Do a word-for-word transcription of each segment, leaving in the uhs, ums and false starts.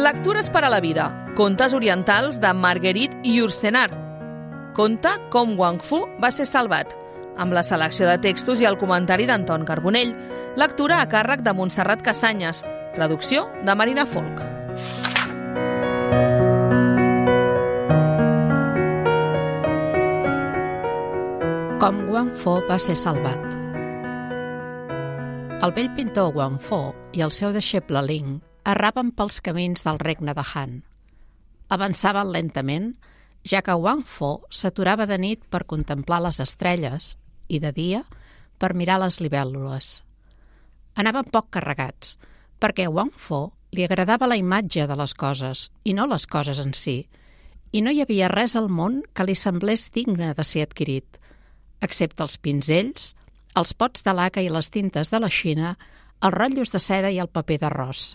Lectures per a la vida. Contes orientals de Marguerite Yourcenar. Conta com Wang Fu va ser salvat, amb la selecció de textos i el comentari d'Anton Carbonell. Lectura a càrrec de Montserrat Casanyes. Traducció de Marina Folk. Com Wang Fu va ser salvat. El vell pintor Wang Fu i el seu deixeble Ling erraven pels camins del regne de Han. Avançaven lentament, ja que Wang Fu s'aturava de nit per contemplar les estrelles i de dia per mirar les libèl·lules. Anaven poc carregats, perquè a Wang Fu li agradava la imatge de les coses i no les coses en si, i no hi havia res al món que li semblés digne de ser adquirit, excepte els pinzells, els pots de laca i les tintes de la Xina, els rotllos de seda i el paper d'arròs.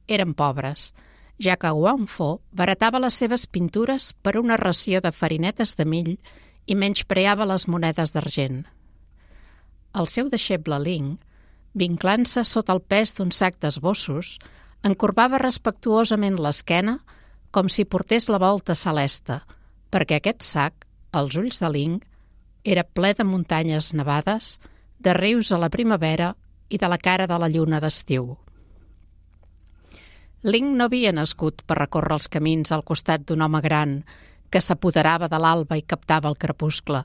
Eren pobres, ja que Wang Fu baratava les seves pintures per una ració de farinetes de mill i menyspreava les monedes d'argent. El seu deixeble Ling, vinclant-se sota el pes d'un sac d'esbossos, encorbava respectuosament l'esquena com si portés la volta celeste, perquè aquest sac, als ulls de Ling, era ple de muntanyes nevades, de rius a la primavera i de la cara de la lluna d'estiu. Ling no havia nascut per recórrer els camins al costat d'un home gran que s'apoderava de l'alba i captava el crepuscle.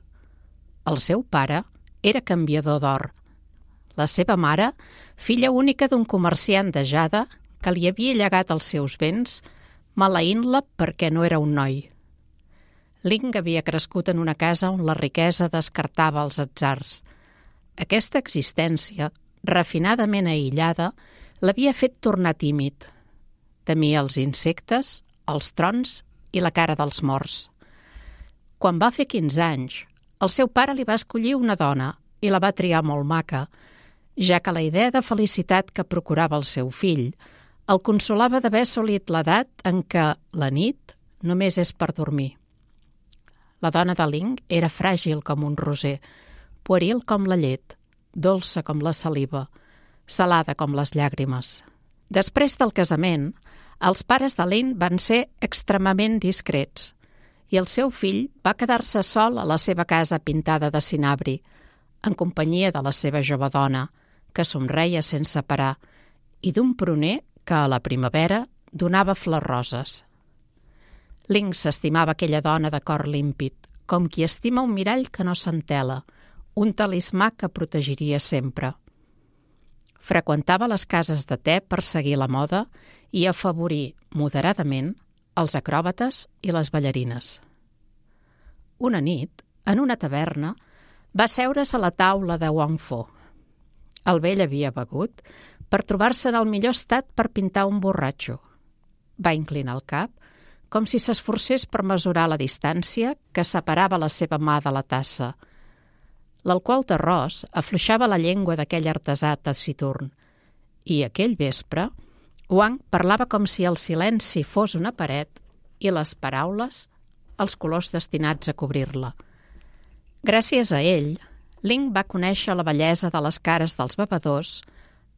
El seu pare era canviador d'or. La seva mare, filla única d'un comerciant de jade que li havia llegat els seus béns, maleint-la perquè no era un noi. Ling havia crescut en una casa on la riquesa descartava els atzars. Aquesta existència, refinadament aïllada, l'havia fet tornar tímid. Temia els insectes, els trons i la cara dels morts. Quan va fer quinze anys, el seu pare li va escollir una dona i la va triar molt maca, ja que la idea de felicitat que procurava el seu fill el consolava d'haver assolit l'edat en què la nit només és per dormir. La dona de Ling era fràgil com un roser, pueril com la llet, dolça com la saliva, salada com les llàgrimes. Després del casament, els pares de Ling van ser extremament discrets i el seu fill va quedar-se sol a la seva casa pintada de cinabri, en companyia de la seva jove dona, que somreia sense parar, i d'un pruner que a la primavera donava flors roses. Ling s'estimava aquella dona de cor límpid, com qui estima un mirall que no s'entela, un talismà que protegiria sempre. Freqüentava les cases de te per seguir la moda i afavorir moderadament els acròbates i les ballarines. Una nit, en una taverna, va seure's a la taula de Wang Fu. El vell havia begut per trobar-se en el millor estat per pintar un borratxo. Va inclinar el cap, com si s'esforcés per mesurar la distància que separava la seva mà de la tassa. L'alcohol d'arròs afluixava la llengua d'aquell artesà taciturn, i aquell vespre Wang parlava com si el silenci fos una paret i les paraules els colors destinats a cobrir-la. Gràcies a ell, Ling va conèixer la bellesa de les cares dels bevedors,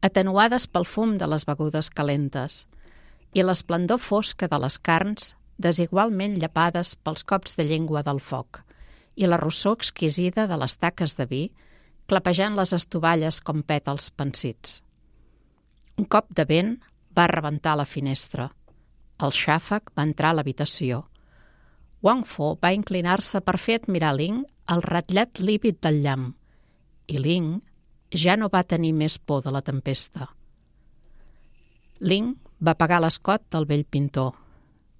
atenuades pel fum de les begudes calentes, i l'esplendor fosca de les carns, desigualment llapades pels cops de llengua del foc, i la rossor exquisida de les taques de vi, clapejant les estovalles com pètals pansits. Un cop de vent va rebentar la finestra. El xàfec va entrar a l'habitació. Wang Fu va inclinar-se per fer admirar Ling el ratllat lívid del llamp, i Ling ja no va tenir més por de la tempesta. Ling va pagar l'escot del vell pintor.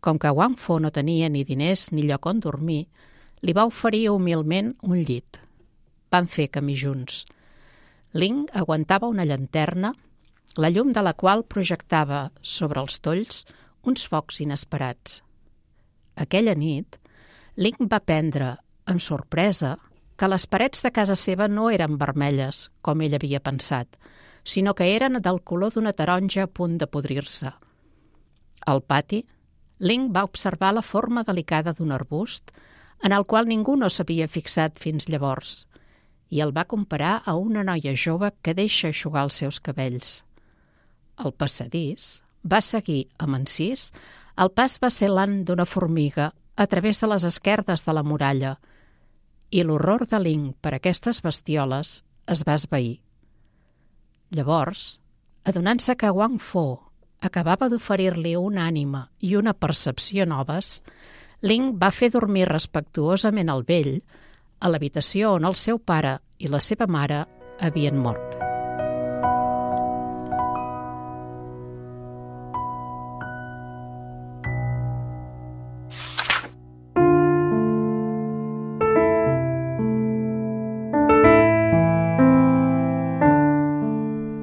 Com que Wang Fu no tenia ni diners ni lloc on dormir, li va oferir humilment un llit. Van fer camí junts. Ling aguantava una llanterna, la llum de la qual projectava sobre els tolls uns focs inesperats. Aquella nit, Ling va aprendre, amb sorpresa, que les parets de casa seva no eren vermelles, com ell havia pensat, sinó que eren del color d'una taronja a punt de podrir-se. Al pati, Ling va observar la forma delicada d'un arbust en el qual ningú no s'havia fixat fins llavors, i el va comparar a una noia jove que deixa eixugar els seus cabells. Al passadís, va seguir amb encís, el pas vacil·lant d'una formiga a través de les esquerdes de la muralla i l'horror de Ling per aquestes bestioles es va esvair. Llavors, adonant-se que Wang Fo acabava d'oferir-li una ànima i una percepció noves, Ling va fer dormir respectuosament el vell a l'habitació on el seu pare i la seva mare havien mort.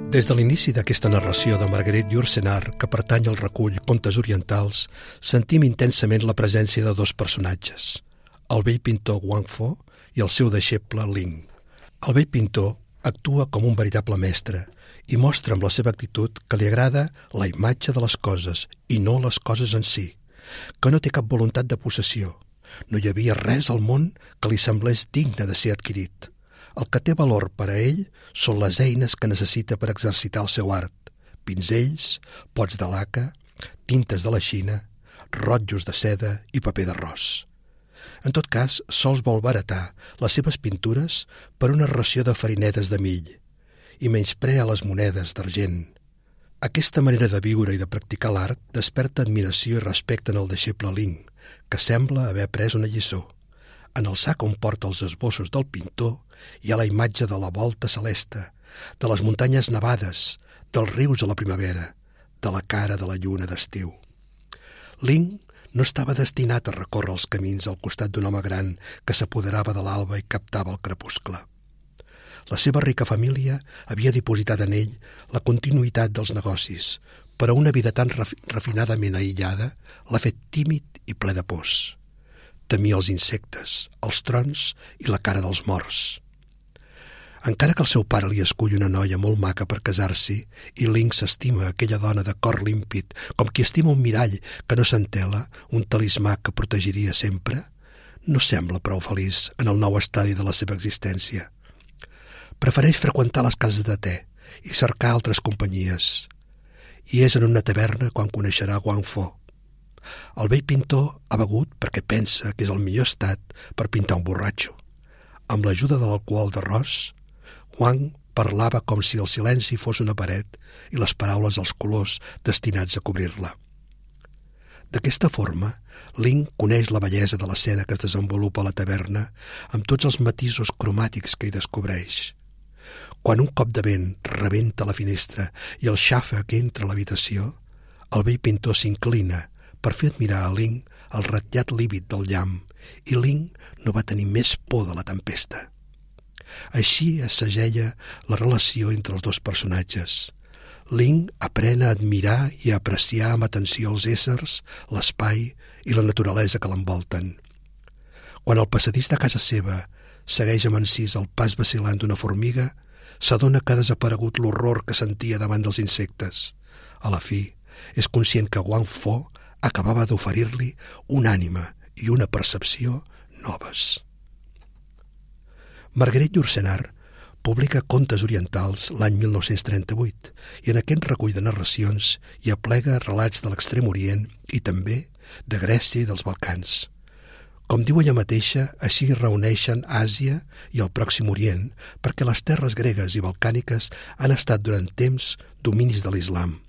Des de l'inici d'aquesta narració de Marguerite Yourcenar, que pertany al recull Contes orientals, sentim intensament la presència de dos personatges, el vell pintor Wang Fo i el seu deixeble Ling. El vell pintor actua com un veritable mestre i mostra amb la seva actitud que li agrada la imatge de les coses i no les coses en si, que no té cap voluntat de possessió. No hi havia res al món que li semblés digne de ser adquirit. El que té valor per a ell són les eines que necessita per exercitar el seu art: pinzells, pots de laca, tintes de la Xina, rotllos de seda i paper d'arròs. En tot cas, sols vol baratar les seves pintures per una ració de farinetes de mill i menysprea les monedes d'argent. Aquesta manera de viure i de practicar l'art desperta admiració i respecte en el deixeble Ling, que sembla haver après una lliçó. En el sac on porta els esbossos del pintor hi ha la imatge de la volta celeste, de les muntanyes nevades, dels rius a la primavera, de la cara de la lluna d'estiu. Ling no estava destinat a recórrer els camins al costat d'un home gran que s'apoderava de l'alba i captava el crepuscle. La seva rica família havia dipositat en ell la continuïtat dels negocis, però una vida tan refinadament aïllada l'ha fet tímid i ple de pors. Temia els insectes, els trons i la cara dels morts. Encara que el seu pare li escull una noia molt maca per casar-s'hi i Ling s'estima aquella dona de cor límpid com qui estima un mirall que no s'entela, un talismà que protegiria sempre, no sembla prou feliç en el nou estadi de la seva existència. Prefereix freqüentar les cases de te i cercar altres companyies. I és en una taverna quan coneixerà Wang Fo. El vell pintor ha begut perquè pensa que és el millor estat per pintar un borratxo. Amb l'ajuda de l'alcohol d'arròs, Wang parlava com si el silenci fos una paret i les paraules els colors destinats a cobrir-la. D'aquesta forma, Ling coneix la bellesa de l'escena que es desenvolupa a la taverna amb tots els matisos cromàtics que hi descobreix. Quan un cop de vent rebenta la finestra i el xàfec entra a l'habitació, el vell pintor s'inclina per fer admirar a Ling el ratllat lívid del llamp, i Ling no va tenir més por de la tempesta. Així es segella la relació entre els dos personatges. Ling aprèn a admirar i a apreciar amb atenció els éssers, l'espai i la naturalesa que l'envolten. Quan el passadís de casa seva segueix amb encís el pas vacil·lant d'una formiga, s'adona que ha desaparegut l'horror que sentia davant dels insectes. A la fi, és conscient que Wang Fo acabava d'oferir-li una ànima i una percepció noves. Marguerite Yourcenar publica Contes orientals l'any mil nou-cents trenta-vuit i en aquest recull de narracions hi aplega relats de l'Extrem Orient i també de Grècia i dels Balcans. Com diu ella mateixa, així reuneixen Àsia i el Pròxim Orient perquè les terres gregues i balcàniques han estat durant temps dominis de l'islam.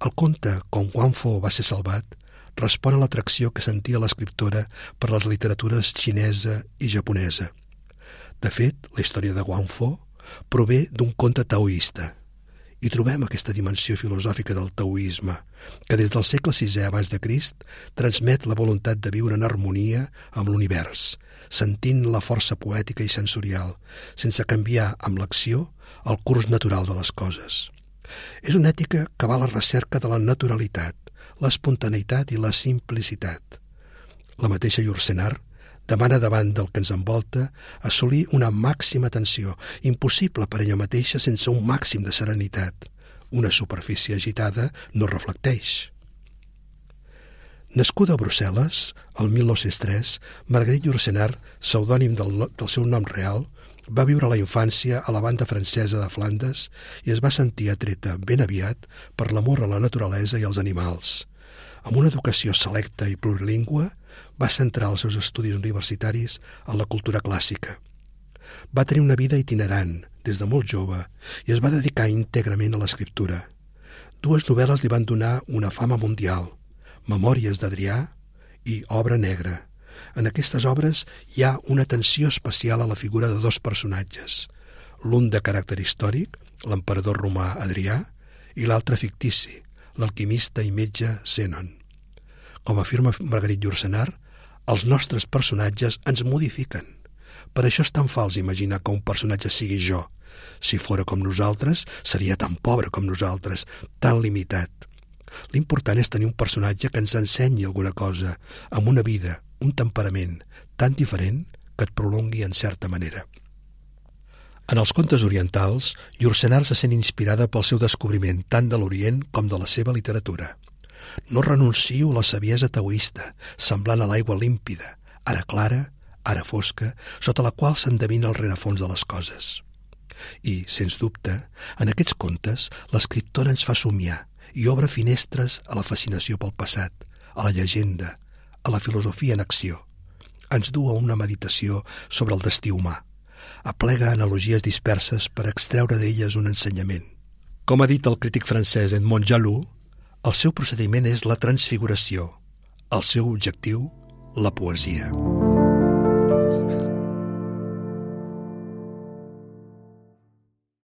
El conte Com Wang Fo va ser salvat respon a l'atracció que sentia l'escriptora per les literatures xinesa i japonesa. De fet, la història de Wang Fo prové d'un conte taoista. I trobem aquesta dimensió filosòfica del taoisme, que des del segle sisè abans de Crist transmet la voluntat de viure en harmonia amb l'univers, sentint la força poètica i sensorial, sense canviar amb l'acció el curs natural de les coses. És una ètica que va a la recerca de la naturalitat, l'espontaneïtat i la simplicitat. La mateixa Yourcenar demana davant del que ens envolta assolir una màxima tensió, impossible per ella mateixa sense un màxim de serenitat. Una superfície agitada no reflecteix. Nascuda a Brussel·les, el mil nou-cents tres, Marguerite Yourcenar, pseudònim del, del seu nom real, Va viure la infància a la banda francesa de Flandes i es va sentir atreta ben aviat per l'amor a la naturalesa i als animals. Amb una educació selecta i plurilingüe, va centrar els seus estudis universitaris en la cultura clàssica. Va tenir una vida itinerant des de molt jove i es va dedicar íntegrament a l'escriptura. Dues novel·les li van donar una fama mundial, Memòries d'Adrià i Obra negra. En aquestes obres hi ha una atenció especial a la figura de dos personatges, l'un de caràcter històric, l'emperador romà Adrià, i l'altre fictici, l'alquimista i metge Zènon. Com afirma Marguerite Yourcenar, els nostres personatges ens modifiquen. Per això és tan fals imaginar que un personatge sigui jo. Si fora com nosaltres, seria tan pobre com nosaltres, tan limitat. L'important és tenir un personatge que ens ensenyi alguna cosa, amb una vida, un temperament tan diferent que et prolongui en certa manera. En els contes orientals, Yourcenar se sent inspirada pel seu descobriment tant de l'Orient com de la seva literatura. No renuncio a la saviesa taoista, semblant a l'aigua límpida, ara clara, ara fosca, sota la qual s'endevina el rerefons de les coses. I, sens dubte, en aquests contes, l'escriptora ens fa somiar i obre finestres a la fascinació pel passat, a la llegenda, a la filosofia en acció. Ens du a una meditació sobre el destí humà. Aplega analogies disperses per extreure d'elles un ensenyament. Com ha dit el crític francès Edmond Jaloux, el seu procediment és la transfiguració, el seu objectiu, la poesia.